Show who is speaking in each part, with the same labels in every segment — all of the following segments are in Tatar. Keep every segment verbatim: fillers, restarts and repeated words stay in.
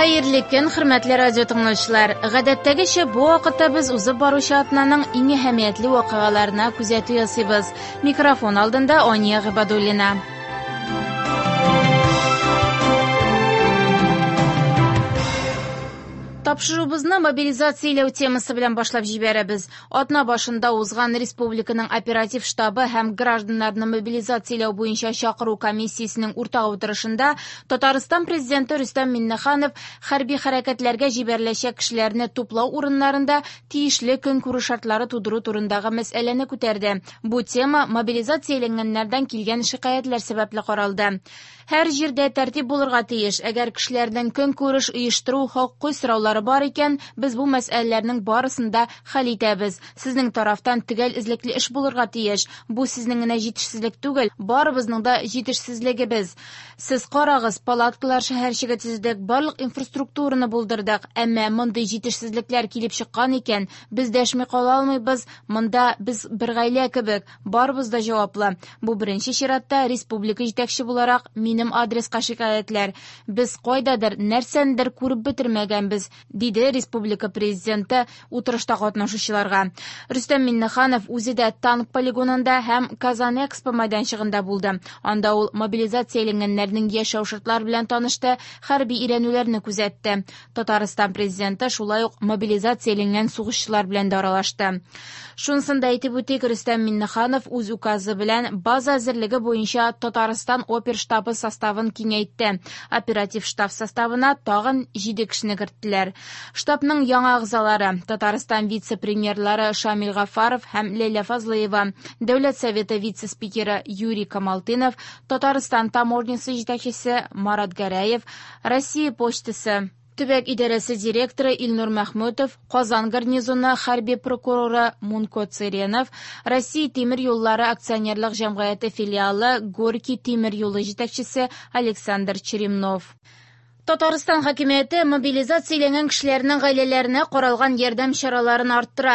Speaker 1: Хәерле көн, хөрмәтле радио тыңлаучылар. Гадәттәгечә бу вакытта без узып баручы атнаның иң әһәмиятле вакыйгаларына күзәтү ясыйбыз. Микрофон алдында Ания Гыйбадуллина. Тапшыруыбызны мобилизацияләү темасы белән башлап җибәрәбез. Атна башында узган республиканың оператив штабы һәм гражданнарны мобилизацияләү буенча чакыру комиссиясенең уртак утырышында Татарстан президенты Рөстәм Миңнеханов хәрби хәрәкәтләргә җибәреләчәк кешеләрне туплау урыннарында тиешле көнкүреш шартлары тудыру турындагы мәсьәләне күтәрде. Бу тема мобилизацияләнгәннәрдән килгән шикаятьләр сәбәпле каралды. Һәр җирдә тәртип булырга тиеш. Әгәр кешеләрнең көнкүреш оештыру хокукый сораулары бар икән, без бу мәсьәләләрнең барысын да хәл итәбез. Сезнең тарафтан төгәл эзлекле эш булырга тиеш. Бу сезнең генә җитешсезлек түгел, барыбызның да җитешсезлегебез. Сез карагыз, палаткалар шәһәрчеге төзедек, барлык инфраструктураны булдырдык. Әмма мондый җитешсезлекләр килеп чыккан икән, без дәшми кала алмыйбыз. Монда без бер гаилә кебек, барыбыз да җаваплы. Бу беренче чиратта республика җитәкче буларак минем адреска шикаятьләр. Без кайдадыр нәрсәндер күреп бетермәгәнбез, диде республика президенты утырышта катнашучыларга. Рөстәм Миңнеханов үзе дә танк полигонында һәм Казан Экспо мәйданчыгында булды. Анда ул мобилизацияләнгәннәрнең яшәү шартлары белән танышты, хәрби өйрәнүләрне күзәтте. Татарстан президенты шулай ук мобилизацияләнгән сугышчылар белән дә аралашты. Шунысын да әйтеп үтик, Рөстәм Миңнеханов үз указы белән база әзерлеге буенча Татарстан оперштабы составын киңәйтте. Оператив штаб составына тагын җиде кешене керттеләр. Штабның яңа әгъзалары Татарстан вице-премьерлары Шамил Гафаров һәм Ләйлә Фазлыева, Дәүләт Советы вице-спикеры Юрий Камалтынов, Татарстан таможнясы җитәкчесе Марат Гәрәев, Россия почтасы төбәк идарәсе директоры Илнур Мәхмүтов, Казан гарнизоны хәрби прокуроры Мунко Цыренов, Россия тимер юллары акционерлык җәмгыяте филиалы Горький тимер юлы җитәкчесе Александр Черемнов. Татарстан хакимияте мобилизацияләнгән кешеләрнең гаиләләренә каралган ярдәм чараларын арттыра.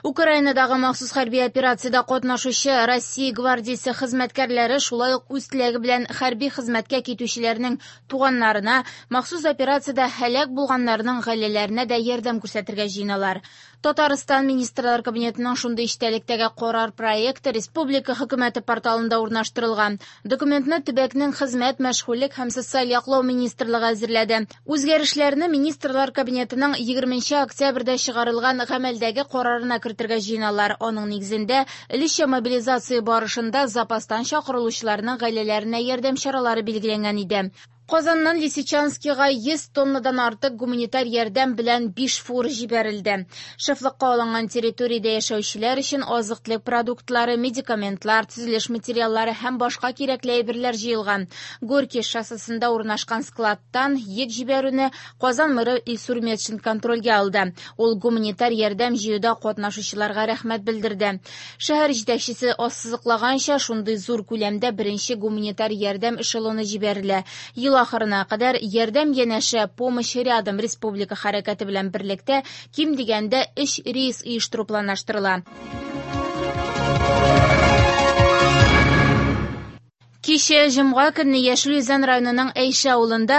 Speaker 1: Украинадагы махсус хәрби операциядә катнашучы Россия гвардиясе хезмәткәрләре шулай ук үз теләге белән хәрби хезмәткә китүчеләрнең туганнарына, махсус операциядә һәлак булганнарның гаиләләренә дә ярдәм күрсәтергә җыеналар. Татарстан Министрлар Кабинетының шундый эчтәлектәге карар проекты республика хөкүмәте порталында урнаштырылган. Документны төбәкнең хезмәт, мәшгульлек һәм социаль яклау министрлыгы әзерләде. Үзгәрешләрне Министрлар Кабинетының егерменче октябрьдә чыгарылган гамәлдәге карарына кертергә җыеналар. Аның нигезендә өлешчә мобилизация барышында запастан чакырылучыларның гаиләләренә ярдәм чаралары билгеләнгән иде. Казаннан Лисичанскига йөз тоннадан артык гуманитар ярдәм белән биш фур җибәрелде. Шефлыкка алынган территориядә яшәүчеләр өчен азык-төлек продуктлары, медикаментлар, төзелеш материаллары һәм башка кирәкле әйберләр җыелган. Горький шоссесында урнашкан складтан йөк җибәрүне Казан мэры Илсур Метшин контрольгә алды. Ул гуманитар ярдәм җыюда катнашучыларга рәхмәт белдерде. Шәһәр җитәкчесе ассызыклаганча, шундый зур күләмдә беренче гуманитар ярдәм эшелоны җибәрелә. Ел ахырына кадәр ярдәм янәшә «Помощь рядом» республика хәрәкәте белән берлектә ким дигәндә өч рейс оештыру планлаштырыла. Кичә җомга көнне Яшел Үзән районының Әйшә авылында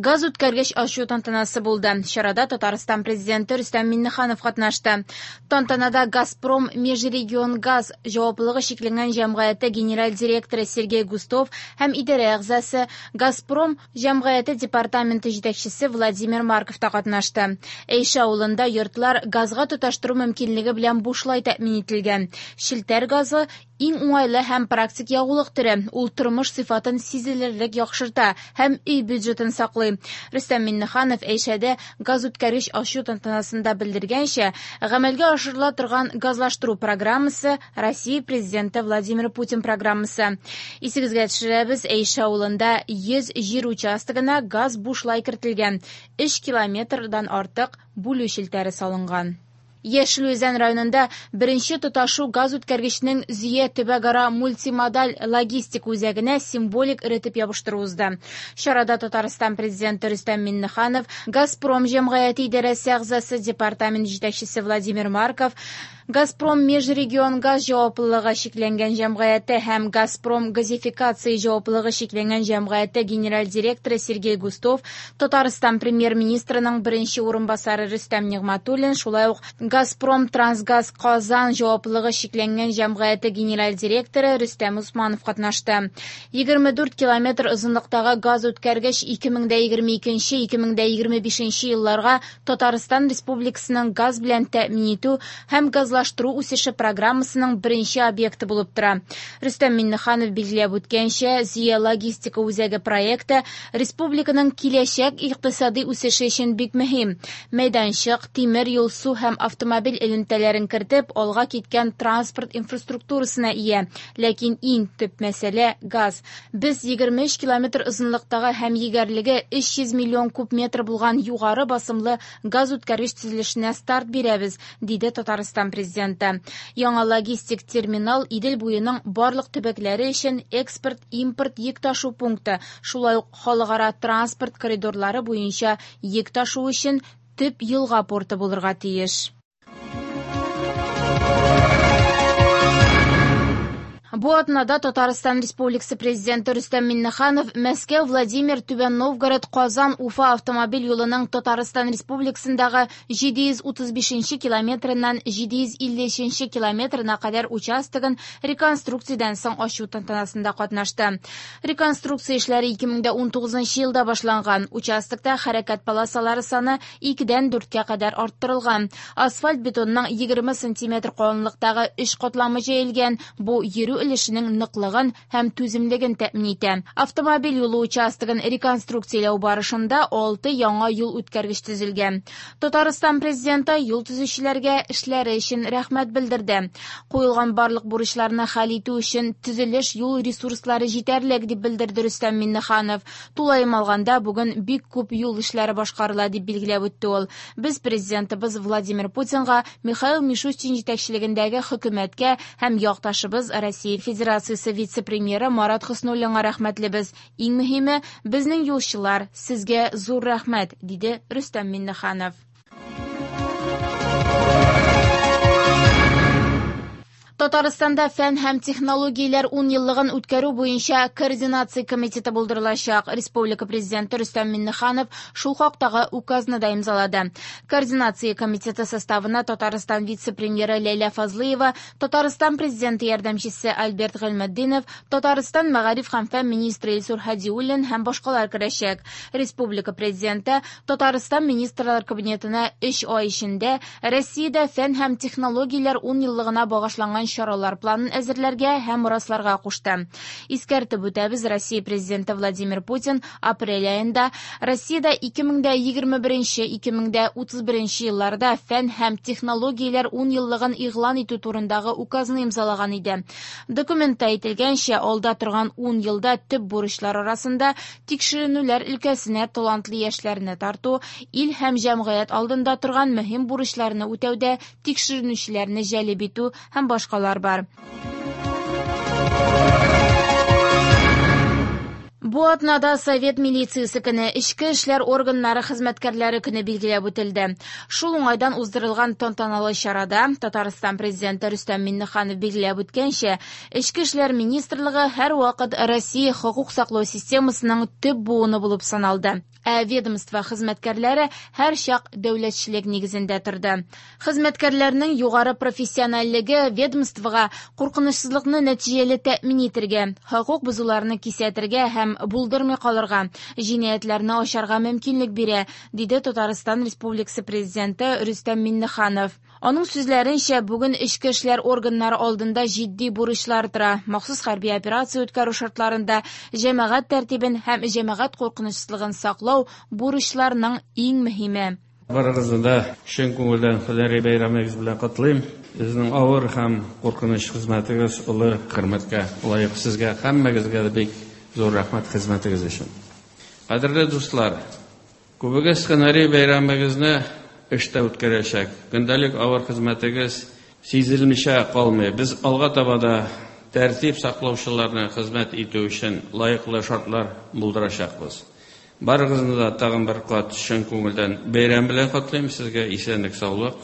Speaker 1: газ үткәргеч ачу тантанасы булды. Чарада Татарстан президенты Рөстәм Миңнеханов катнашты. Тантанада Газпром Межрегионгаз җаваплылыгы чикләнгән җәмгыяте генераль директоры Сергей Густов һәм идарә әгъзасы Газпром җәмгыяте департаменты җитәкчесе Владимир Марков та катнашты. Әйшә авылында йортлар газга тоташтыру мөмкинлеге белән бушлай тәэмин ителгән. Челтәр газы иң уңайлы һәм практик ягулык төре. Ул тормыш сыйфатын сизелерлек яхшырта һәм өй бюджетын саклый. Рөстәм Миңнеханов Әйшәдә газ үткәргеч ачу тантанасында белдергәнчә, гамәлгә ашырыла торган газлаштыру программасы Россия президенты Владимир Путин программасы. Исегезгә төшерәбез, Әйшә авылында йөз җир участогына газ бушлай кертелгән. Өч километрдан артык бүлү челтәре салынган. Яшел Үзән районында беренче тоташу газ үткәргечнең Зөя төбәкара мультимодаль логистик үзәгенә символик эретеп ябыштыру узды. Чарада Татарстан президенты Рөстәм Миңнеханов, Газпром җәмгыяте идарәсе әгъзасы департамент җитәкчесе Владимир Марков, Газпром Межрегионгаз җаваплылыгы чикләнгән җәмгыяте һәм Газпром газификация җаваплылыгы чикләнгән җәмгыяте генераль директоры Сергей Густов, Татарстан премьер-министрының беренче урынбасары Рөстәм Нигъмәтуллин, шулай ук Газпром Трансгаз Казан җаваплылыгы чикләнгән җәмгыяте генераль директоры Рөстәм Усманов катнашты. егерме дүрт километр озынлыктагы газ үткәргеч ике мең дә егерме икенче - ике мең дә егерме бишенче елларга Татарстан Республикасының газ белән тәэмин итү һәм газлаштыру үсеше программасының беренче объекты булып тора. Рөстәм Миңнеханов билгеләп үткәнчә, Зөя логистика үзәге проекты республиканың киләчәк икътисади үсеше өчен бик мөһим. Мәйданчык, тимер юл, су һәм автомобиль элемтәләрен кертеп, алга киткән транспорт инфраструктурасына ия. Ләкин иң төп мәсьәлә газ. Без егерме өч километр озынлыктагы һәм егәрлеге өч йөз миллион куб метр булган югары басымлы газ үткәргеч төзелешенә старт бирәбез, диде Татарстан президенты. Яңа логистик терминал Идел буеның барлык төбәкләре өчен экспорт-импорт йөк ташу пункты, шулай ук халыкара транспорт коридорлары буенча йөк ташу өчен төп елга порты булырга тиеш. Бу атнада Татарстан Республикасы президенты Рөстәм Миңнеханов Мәскәү, Владимир, Түбән Новгород, Казан, Уфа автомобиль юлының Татарстан Республикасындагы җиде йөз утыз бишенче километрыннан җиде йөз илле өченче километрына кадәр участогын реконструкциядән соң ачу тантанасында катнашты. Реконструкция эшләре ике мең дә унтугызынчы елда башланган. Участокта хәрәкәт полосалары саны икедән дүрткә кадәр арттырылган. Асфальт бетонның егерме сантиметр калынлыктагы өч катламы җәелгән. Бу йөрү өлешенең ныклыгын һәм түземлеген тәэмин итә. Автомобиль юлы участогын реконструкцияләү барышында алты яңа юл үткәргеч төзелгән. Татарстан президенты юл төзүчеләргә эшләре өчен рәхмәт белдерде. Куелган барлык бурычларны хәл итү өчен төзелеш юл ресурслары җитәрлек, дип белдерде Рөстәм Миңнеханов. Тулаем алганда бүген бик күп юл эшләре башкарыла, дип билгеләп үтте ул. Без президентыбыз Владимир Путинга, Михаил Мишустин җитәкчелегендәге хөкүмәткә һәм якташыбыз Россия Федерациясе вице-премьеры Марат Хөснуллинга рәхмәтлебез. Иң мөһиме, безнең юлчылар, сезгә зур рәхмәт, диде Рөстәм Миңнеханов. Татарстанда фән һәм технологияләр ун еллыгын үткәрү буенча координация комитеты булдырылачак. Республика президенты Рөстәм Миңнеханов шул хактагы указны да имзалады. Координация комитеты составына Татарстан вице-премьеры Ләйлә Фазлыева, Татарстан президенты ярдәмчесе Альберт Гыйльметдинов, Татарстан мәгариф һәм фән министры Илсур Һадиуллин һәм башкалар керәчәк. Республика президенты Татарстан министрлар кабинетына өч ай эчендә Россиядә фән һәм технологияләр ун еллыгына багышланган чаралар планын әзерләргә һәм расларга кушты. Искәртеп үтәбез, Россия президенты Владимир Путин апрель аенда Россиядә ике мең дә егерме беренче - ике мең дә утыз беренче елларда фән һәм технологияләр ун еллыгын игълан итү турындагы указны имзалаган иде. Документта әйтелгәнчә, алда торган ун елда төп бурычлар арасында тикшеренүләр өлкәсенә талантлы яшьләрне тарту, ил һәм җәмгыять алдында торган мөһим бурычларны үтәүдә тикшеренүчеләрне җәлеп итү һәм башкалар бар. Бу атнада Совет милициясе көне, эчке эшләр органнары хезмәткәрләре көне билгеләп үтелде. Шул уңайдан уздырылган тантаналы чарада Татарстан президенты Рөстәм Миңнеханов билгеләп үткәнчә, Эчке эшләр министрлыгы һәрвакыт Россия хокук саклау системасының төп буыны булып саналды. Ә ведомство хезмәткәрләре һәрчак дәүләтчелек нигезендә торды. Хезмәткәрләрнең югары профессиональлеге ведомствога куркынычсызлыкны нәтиҗәле тәэмин итәргә, хокук бозуларны кисәтергә һәм булдырмый калырга, җинаятьләрне ачарга мөмкинлек бирә, диде Татарстан Республикасы президенты Рөстәм Миңнеханов. Аның сүзләренчә, бүген эчке эшләр органнары алдында җитди бурычлар тора. Махсус хәрби операция үткәрү шартларында җәмәгать тәртибен һәм җәмәгать куркынычсызлыгын саклау бурычларның иң мөһиме.
Speaker 2: Барыгызны да чын күңелдән һөнәри бәйрәмегез белән котлыйм. Сезнең авыр һәм куркыныч хезмәтегез олы хөрмәткә лаек. Сезгә һәммәгезгә дә бик зур рәхмәт хезмәтегез өчен. Кадерле дуслар, күбегез һөнәри бәйрәмегезне эштә үткәрәчәк. Көндәлек авыр хезмәтегез сизелмичә калмый. Без алга таба да тәртип саклаучыларны хезмәт итү өчен лаеклы шартлар булдырачакбыз. Барыгызны да тагын бер кат чын күңелдән бәйрәм белән котлыйм. Сезгә исәнлек, саулык,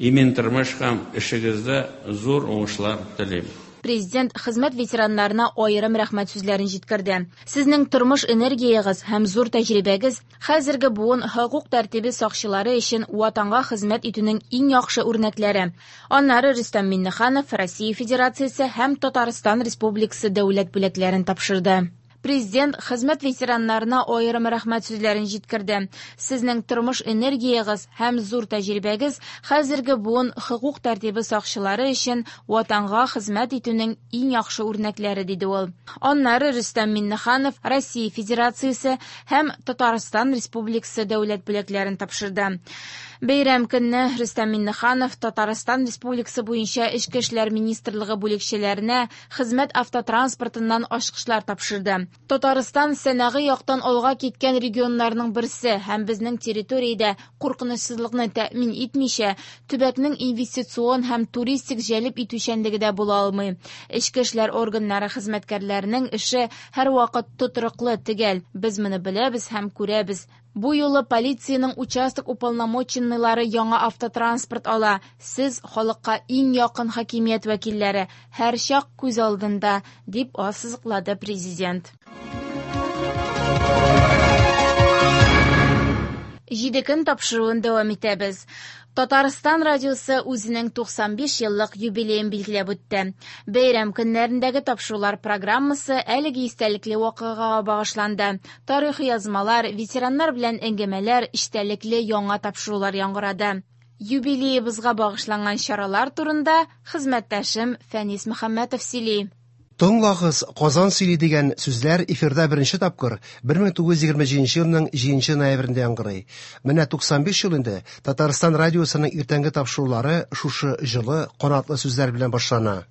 Speaker 2: Имин тормыш һәм эшегездә зур уңышлар телим.
Speaker 1: Президент хезмәт ветераннарына аерым рәхмәт сүзләрен җиткерде. Сезнең тормыш энергиягез һәм зур тәҗрибәгез хәзерге буын хокук тәртибе сакчылары өчен ватанга хезмәт итүнең иң яхшы үрнәкләре. Аннары Рөстәм Миңнеханов Россия Федерациясе һәм Татарстан Республикасы дәүләт бүләкләрен тапшырды. Президент хезмәт ветераннарына аерым рәхмәт сүзләрен җиткерде. Сезнең тормыш энергиягез һәм зур тәҗрибәгез хәзерге буын хокук тәртибе сакчылары өчен ватанга хезмәт итүнең иң яхшы үрнәкләре, диде ул. Аннары Рөстәм Миңнеханов Россия Федерациясе һәм Татарстан Республикасы дәүләт бүләкләрен тапшырды. Бәйрәм көнне Рөстәм Миңнеханов Татарстан Республикасы буенча Эчке эшләр министрлыгы бүлекчәләренә хезмәт автотранспортыннан ачкычлар тапшырды. Татарстан сәнәгый яктан алга киткән регионнарның берсе һәм безнең территориядә куркынычсызлыкны тәэмин итмичә, төбәкнең инвестицион һәм туристик җәлеп итүчәнлеге дә була алмый. Эчке эшләр органнары хезмәткәрләренең эше һәрвакыт тотрыклы, төгәл. Без моны беләбез һәм күрәбез. Бу юлы полициянең участок уполномоченныйлары яңа автотранспорт ала. Сез халыкка иң якын хакимият вәкилләре, һәрчак күз алдында, дип ассызыклады президент. Җиде көн тапшыруын дәвам итәбез. Татарстан радиосы үзенең туксан биш еллык юбилеен билгеләп үтте. Бәйрәм көннәрендәге тапшырулар программасы әлеге истәлекле вакыйгага багышланды. Тарихи язмалар, ветераннар белән әңгәмәләр, истәлекле яңа тапшырулар яңгырады. Юбилеебызга багышланган чаралар турында хезмәттәшем Фәнис Мөхәммәтов сөйли.
Speaker 3: Тыңлагыз, Казан сөйли дигән сүзләр эфирда беренче тапкыр бер мең тугыз йөз егерме җиденче елның җиденче ноябрендә яңгырый. Менә туксан биш ел инде Татарстан радиосының иртәнге тапшырулары шушы җылы, канатлы сүзләр белән башлана.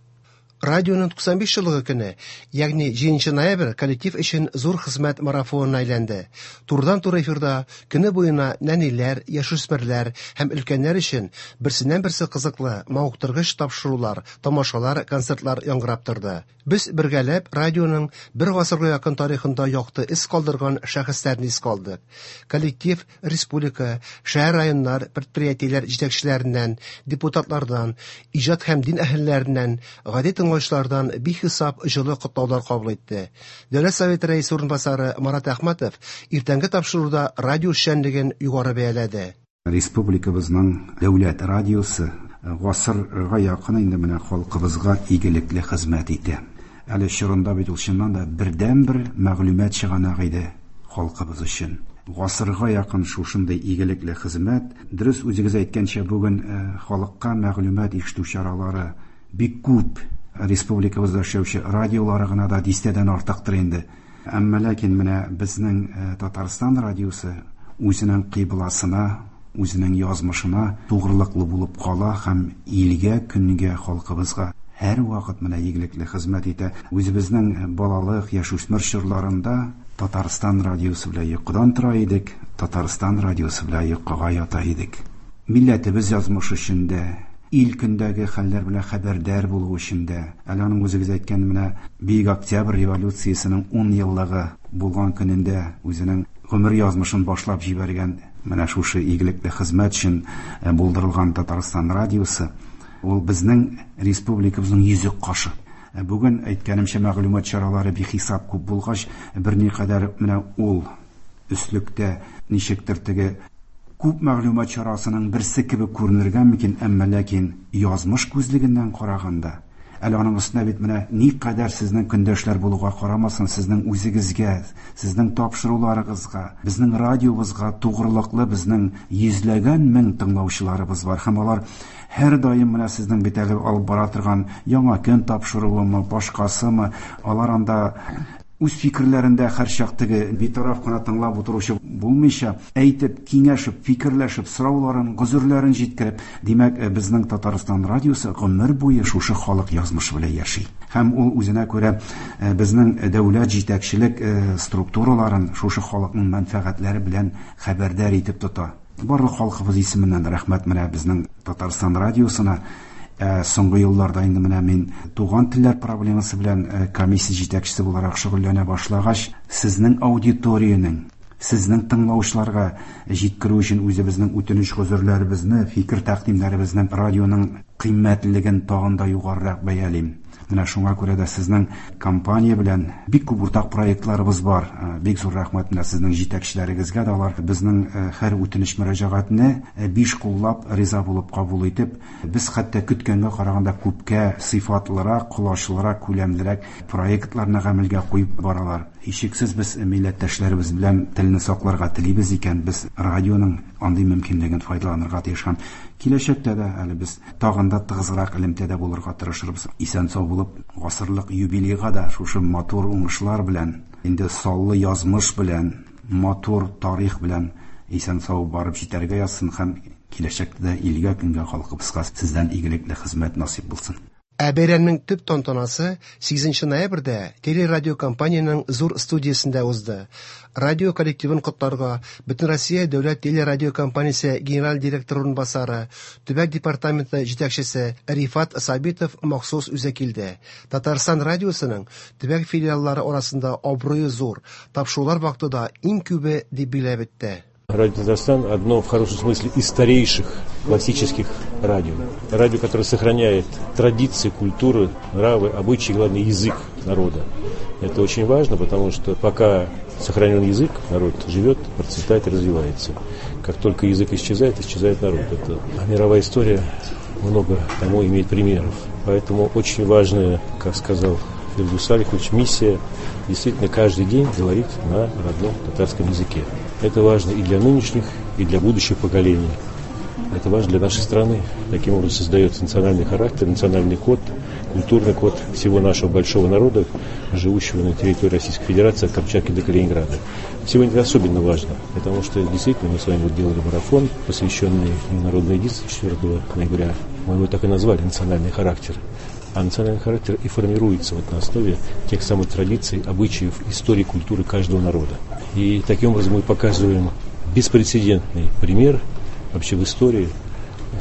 Speaker 3: Радионың туксан биш еллыгы көне, ягъни җиденче ноябрь коллектив өчен зур хезмәт марафонына әйләнде. Турыдан-туры эфирда көне буена нәниләр, яшүсмерләр һәм өлкәннәр өчен берсеннән-берсе кызыклы, мавыктыргыч тапшырулар, тамашалар, концертлар яңгырап торды. Без бергәләп радионың бер гасырга якын тарихында якты эз калдырган шәхесләрне искә алдык. Коллектив республика, шәһәр, районнар, предприятиеләр җитәкчеләреннән, депутатлардан, иҗат һәм дин әһелләреннән, гади тыңлаучылардан бихисап җылы котлаулар кабул итте. Дәүләт Советы рәисе урынбасары Марат Әхмәтов иртәнге тапшыруда радио эшчәнлеген югары бәяләде.
Speaker 4: Республикабызның дәүләт радиосы гасырга якын инде менә халкыбызга игелекле хезмәт итә. Әле чорында бит ул чыннан да бердәнбер мәгълүмат чыганагы иде халкыбыз өчен. Гасырга якын шушындый игелекле хезмәт, дөрес үзегез әйткәнчә, бүген халыкка мәгълүмат ишетү чаралары бик күп. Республикабызда эшләүче радиолары гына да дистәдән артыктыр инде. Әмма ләкин менә безнең Татарстан радиосы үзенең кыйбласына, үзенең язмышына тугрылыклы булып кала һәм илгә, көнгә, халкыбызга һәр вакыт менә игелекле хезмәт итә. Үзебезнең балалык, яшүсмер чорларында Татарстан радиосы белән йокыдан тора идек, Татарстан радиосы белән йокыга ята идек. Милләтебез язмышы өчен дә, ил көндәге хәлләр белән хәбәрдар булу өчен дә, әле аның үзегез әйткән менә Бөек Октябрь революциясенең ун еллыгы булган көнендә үзенең гомер язмышын башлап җибәргән менә шушы игелекле хезмәт өчен булдырылган Татарстан радиосы ул безнең республикабызның йөзек кашы. Бүген әйткәнемчә, мәгълүмат чаралары бихисап күп булгач, берникадәр менә ул өслектә ничектер теге күп мәгълүмат чарасының берсе кебек күренергә мөмкин, әмма ләкин язмыш күзлегеннән караганда, әле аның өстенә бит менә никадәр сезнең көндәшләр булуга карамасын, сезнең үзегезгә, сезнең тапшыруларыгызга, безнең радиобызга тугрылыклы безнең йөзләгән мең тыңлаучыларыбыз бар һәм алар һәр даим менә сезнең бит әле алып бара торган яңа көн тапшыруымы, башкасымы, алар анда үз фикерләрендә һәрчак теге битараф кына тыңлап утыручы булмыйча, әйтеп, киңәшеп, фикерләшеп, сорауларын, гозерләрен җиткереп, димәк, безнең Татарстан радиосы гомер буе шушы халык язмышы белән яши. Һәм ул үзенә күрә безнең дәүләт җитәкчелек структураларын шушы халыкның мәнфәгатьләре белән хәбәрдар итеп тота. Барлык халкыбыз исеменнән рәхмәт менә безнең Татарстан радиосына. Соңгы елларда инде менә мин туган телләр проблемасы белән комиссия җитәкчесе буларак шөгыльләнә башлагач, сезнең аудиториянең, Сезнең тыңлаучыларга җиткерү өчен үзебезнең үтенеч гозерләребезне, фикер тәкъдимнәребезне радионың кыйммәтлелеген тагын да югарырак бәялим. Менә шуңа күрә дә сезнең компания белән бик күп уртак проектларыбыз бар. Бик зур рәхмәт менә сезнең җитәкчеләрегезгә дә, алар безнең һәр үтенеч мөрәҗәгатьне биш куллап риза булып кабул итеп, без хәтта көткәнгә караганда күпкә сыйфатлырак, колачлырак, күләмлерәк проектларны гамәлгә куеп баралар. Һичшиксез без милләттәшләребез белән телне сакларга телибез икән, без радионың андый мөмкинлеген файдаланырга тиеш һәм киләчәктә дә әле без тагын да тыгызрак элемтәдә булырга тырышырбыз. Исән-сау булып, гасырлык юбилейга да шушы матур уңышлар белән, инде саллы язмыш белән, матур тарих белән исән-сау барып җитәргә язсын һәм киләчәктә дә илгә, көнгә, халкыбызга сездән игелекле хезмәт насыйп булсын.
Speaker 3: Ә бәйрәмнең төп тантанасы сигезенче ноябрьдә телерадиокомпаниянең зур студиясендә узды. Радио коллективын котларга Бөтенроссия дәүләт телерадиокомпаниясе генераль директоры урынбасары, төбәк департаменты җитәкчесе Рифат Сабитов махсус үзе килде. Татарстан радиосының төбәк филиаллары арасында абруе зур, тапшырулар вакыты да иң күбе дип билгеләп үтте.
Speaker 5: Радио Татарстан одно в хорошем смысле из старейших классических радио. Радио, которое сохраняет традиции, культуру, нравы, обычаи, главное, язык народа. Это очень важно, потому что пока сохранен язык, народ живет, процветает и развивается. Как только язык исчезает, исчезает народ. Это мировая история много тому имеет примеров. Поэтому очень важная, как сказал Фирдус Салихович, миссия действительно каждый день говорить на родном татарском языке. Это важно и для нынешних, и для будущих поколений. Это важно для нашей страны. Таким образом создается национальный характер, национальный код, культурный код всего нашего большого народа, живущего на территории Российской Федерации от Камчатки до Калининграда. Сегодня это особенно важно, потому что действительно мы с вами вот делали марафон, посвященный Народной единству четвёртого ноября. Мы его так и назвали «Национальный характер». А национальный характер и формируется вот на основе тех самых традиций, обычаев, истории, культуры каждого народа. И таким образом мы показываем беспрецедентный пример вообще в истории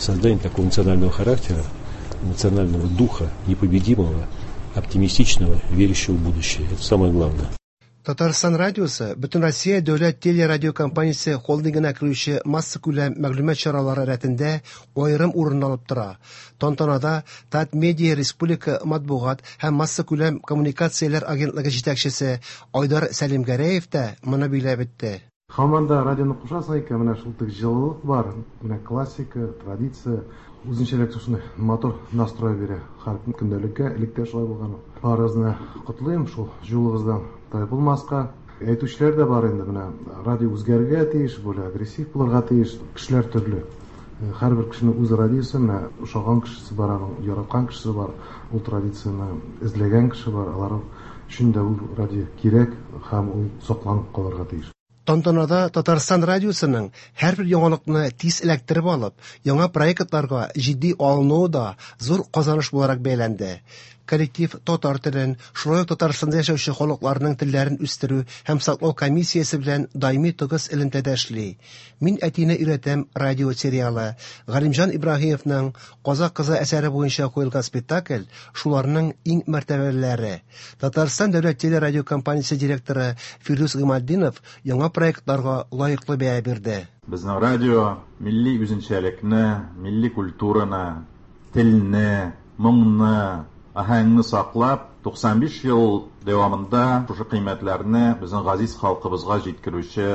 Speaker 5: создания такого национального характера, национального духа, непобедимого, оптимистичного, верящего в будущее. Это самое главное.
Speaker 3: Татарстан радиосы Бөтенроссия дәүләт телерадиокомпаниясе холдингына керүче массакүләм мәгълүмат чаралары рәтендә аерым урын алып тора. Тантанада Татмедиа республика матбугат һәм массакүләм коммуникацияләр агентлыгы җитәкчесе Айдар Сәлимгәрәев тә моны билгеләп үтте.
Speaker 6: Һаман да радионы кушасың икән, менә шул тик җылылык бар, менә классика, традиция, үзенчәлек шушындай матур настрой бирә. Һәр көндәлеккә, элек тә шулай булган. Барыгызны котлыйм, шул юлыгыздан тайпылмаска. Әйтүчеләр дә бар инде, менә радио үзгәрергә тиеш, более агрессив булырга тиеш, кешеләр төрле. Һәрбер кешенең үз радиосы, менә ошаган кешесе бар, аның яраткан кешесе бар, ул традицияне эзләгән кеше бар, алар өчен дә ул радио кирәк һәм ул сакланып калырга тиеш.
Speaker 3: Тантанада Татарстан радиосының һәрбер яңалыкны тиз эләктереп алып, яңа проектларга җитди алынуы да зур казаныш буларак бәяләнде. Коллектив татар телен, шулай ук Татарстанда яшәүче халыкларның телләрен үстерү һәм саклау комиссиясе белән даими тыгыз элемтәдә эшли. Мин әтине өйрәтәм радио сериалы, Галимҗан Ибраһимовның Казак кызы әсәре буенча куелган спектакль шуларның иң мәртәбәлеләре. Татарстан дәүләт телерадиокомпаниясе директоры Фирдүс Гыйматдинов яңа проектларга лаеклы бәя бирде.
Speaker 7: Безнең радио милли үзенчәлекне, милли культураны, телне, моңны, аһәңне саклап, туксан биш ел дәвамында шушы кыйммәтләрне безнең газиз халкыбызга җиткерүче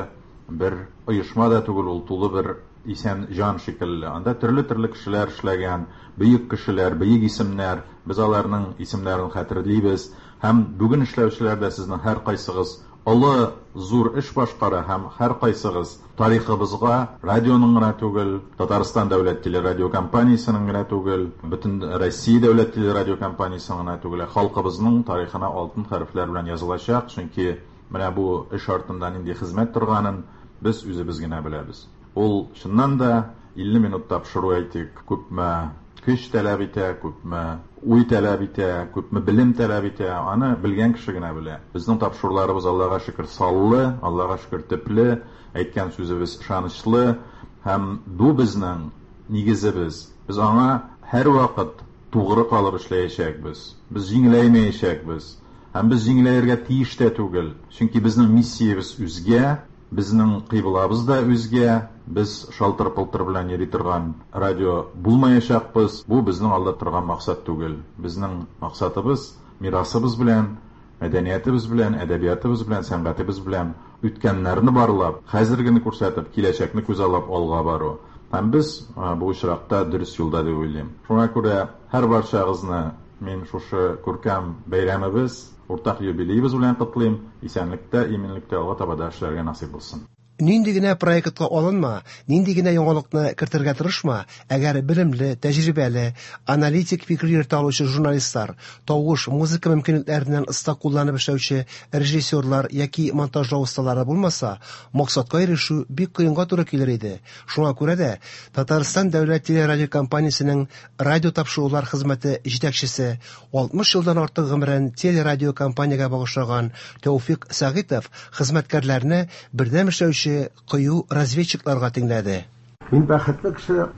Speaker 7: бер оешма да түгел, ул тулы бер исән җан шикелле. Анда төрле-төрле кешеләр эшләгән, бөек кешеләр, бөек исемнәр, без аларның исемнәрен хәтерлибез. Һәм бүген эшләүчеләр дә сезнең һәркайсыгыз олы зур эш башкара һәм һәркайсыгыз тарихыбызга радионың гына түгел, Татарстан дәүләт телерадиокомпаниясенең генә түгел, бөтен Россия дәүләт телерадиокомпаниясенең генә түгел, халкыбызның тарихына алтын хәрефләр белән язылачак, чөнки менә бу эш артында нинди хезмәт торганын без үзебез генә беләбез. Ул чыннан да илле минут тапшыру әйтик, күпме көч таләп итә, күпме уй таләп итә, күпме белем таләп итә, аны белгән кеше генә белә. Безнең тапшыруларыбыз Аллага шөкер саллы, Аллага шөкер төпле, әйткән сүзебез ышанычлы һәм бу безнең нигезебез. Без аңа һәрвакыт тугры калып эшләячәкбез. Без җиңеләймәячәкбез. Һәм без җиңеләергә тиеш тә түгел. Чөнки безнең миссиябез үзгә. Безнең кыйблабыз да үзгә, без шалтыр-пылтыр белән йөри торган радио булмаячакбыз. Бу безнең алда торган максат түгел. Безнең максатыбыз мирасыбыз белән, мәдәниятебез белән, әдәбиятыбыз белән, сәнгатебез белән үткәннәрне барлап, хәзергене күрсәтеп, киләчәкне күзаллап алга бару. Һәм без бу очракта дөрес юлда дип уйлыйм. Шуңа күрә һәр барчагызны мин шушы күркәм бәйрәмебез, уртак юбилеебыз белән котлыйм. Исәнлектә, иминлектә алга таба да эшләргә насыйп булсын.
Speaker 3: Нинди генә проектка алынма, нинди генә яңалыкны кертергә тырышма, әгәр белемле, тәҗрибәле, аналитик фикер йөртә алучы журналистлар, тавыш, музыка мөмкинлекләреннән оста кулланып эшләүче режиссерлар яки монтажлау осталары булмаса, максатка ирешү бик кыенга туры килер иде. Шуңа күрә дә Татарстан дәүләт телерадиокомпаниясенең радио тапшырулар хезмәте җитәкчесе, алтмыш елдан артык гомерен телерадиокомпаниягә багышлаган Тәүфик Сәгыйтов хезмәткәрләрне бердәм эшләүче кыю разведчикларга тиңләде.
Speaker 8: Мин бәхетле кеше,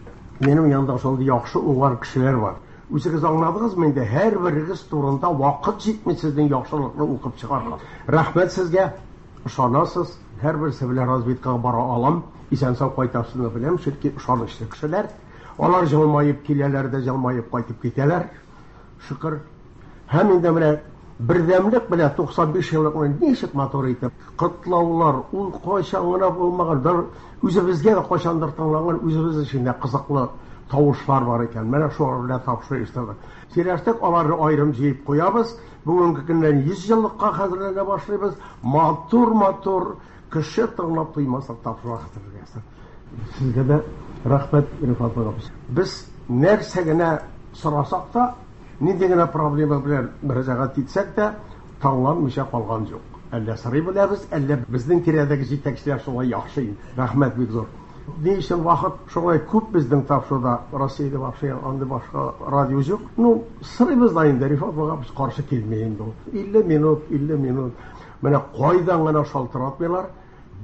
Speaker 8: минем янымда шундый яхшы уңган кешеләр бар. Үзегез аңладыгызмы инде, һәрберегез турында вакыт җитми сезнең яхшылыкны укып чыгарга. Рәхмәт сезгә, ышанасыз, һәрберсе белән разведкага бара алам, исән-сау кайтасызны беләм, чөнки ышанычлы кешеләр. Алар җылмаеп киләләр дә җылмаеп кайтып китәләр. Шөкер. Һәм инде менә бердәмлек белән туксан биш еллыкны ничек матур итеп котлаулар, ул кайчан гына булмаган, бер үзебезгә дә кайчандыр тыңланган, үзебез өчен дә кызыклы тавышлар бар икән. Менә шулар белән тапшыру оештырдык. Сөйләштек, аларны аерым җыеп куябыз. Бүгенге көннән йөз еллыкка хәзерләнә башлыйбыз. Матур-матур кеше тыңлап туймаслык тапшыру хәзерләгән. Сезгә дә рәхмәт, Рифат абый. Без нәрсә генә сорасак та, нинди генә проблема белән мөрәҗәгать итсәк тә, тыңланмыйча калган юк. Әллә сорый беләбез, әллә безнең тирәдәге җитәкчеләр шулай яхшы инде. Рәхмәт бик зур. Ни өчен вакыт шулай күп безнең тапшыруда, Россиядә вообще андый башка радио юк. Ну, сорыйбыз да инде, Рифат абый каршы килми инде ул. илле минут, илле минут. Менә кайдан гына шалтыратмыйлар,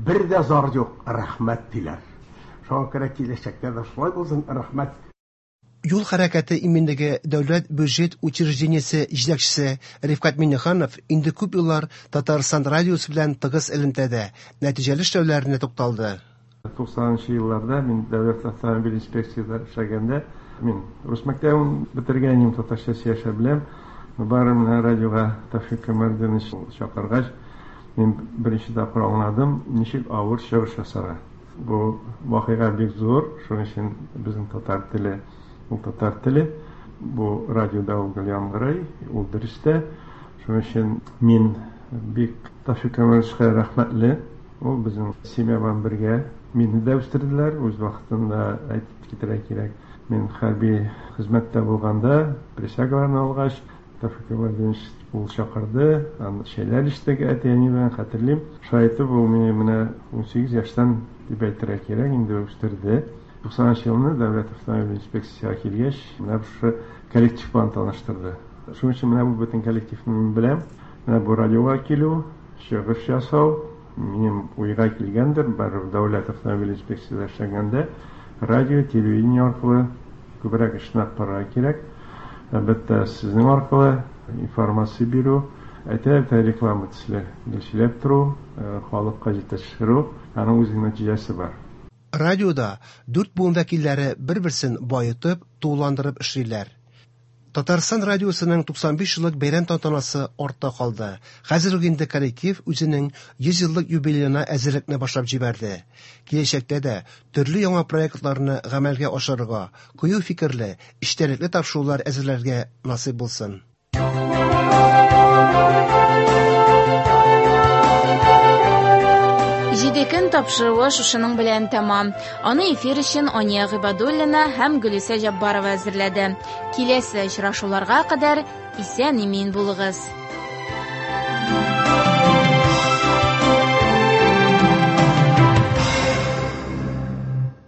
Speaker 8: бер дә зар юк, рәхмәт диләр. Шуңа күрә киләчәктә дә шулай булсын, рәхмәт.
Speaker 3: Юл хәрәкәте иминлеге дәүләт бюджет учреждениесе җитәкчесе Рифкать Миңнеханов инде күп еллар Татарстан радиосы белән тыгыз элемтәдә, нәтиҗәле эшләүләренә тукталды.
Speaker 9: Туксанынчы елларда мин дәүләт автомобиль инспекциясендә эшләгәндә, мин рус мәктәбен бетергән идем, татарча сөйләшә беләм. Бары менә радиога Тәүфик Камалетдинович чакыргач, мин беренче тапкыр аңладым, ничек авыр чыгыш ясарга. Бу вакыйга бик зур, шуның өчен безнең татар теле, ул татар теле, бу радиода ул гел яңгырый, ул дөрес тә. Шуның өчен мин бик Тәүфик Камалетдиновичка рәхмәтле. Ул безнең семья белән бергә мине дә үстерделәр. Үз вакытында әйтеп китәргә кирәк, мин хәрби хезмәттә булганда, присягаларны алгач, Тәүфик Камалетдинович ул чакырды, аны чәйләр эчтек әти-әни белән, хәтерлим. Шулай итеп, ул мине менә унсигез яшьтән дип әйтергә кирәк, инде үстерде. Туксанынчы елны дәүләт автомобиль инспекциясенә килгәч, менә шушы коллектив белән таныштырды. Шуның өчен менә бу бөтен коллективны мин беләм. Менә бу радиога килү, чыгыш ясау минем уйга килгәндер, барыбер дәүләт автомобиль инспекциясендә эшләгәндә радио, телевидение аркылы күбрәк эшне алып барырга кирәк. Әлбәттә, сезнең аркылы информация бирү, әйтә-әйтә реклама төсле гел сөйләп тору, халыкка җитештерү, аның үзенең нәтиҗәсе бар.
Speaker 3: Радиода дүрт буын вәкилләре бер-берсен баетып, тулыландырып эшлиләр. Татарстан радиосының туксан биш еллык бәйрәм тантанасы артта калды. Хәзер үк инде коллектив үзенең йөз еллык юбилеена әзерлекне башлап җибәрде. Киләчәктә дә төрле яңа проектларны гамәлгә ашырырга, кыю фикерле, эчтәлекле тапшырулар әзерләргә насыйп булсын.
Speaker 1: Җиде көн тапшыруы шушының белән тәмам. Аны эфир өчен Ания Гыйбадуллина һәм Гөлүсә Җаббарова әзерләде. Киләсе очрашуларга кадәр исән-имин булыгыз.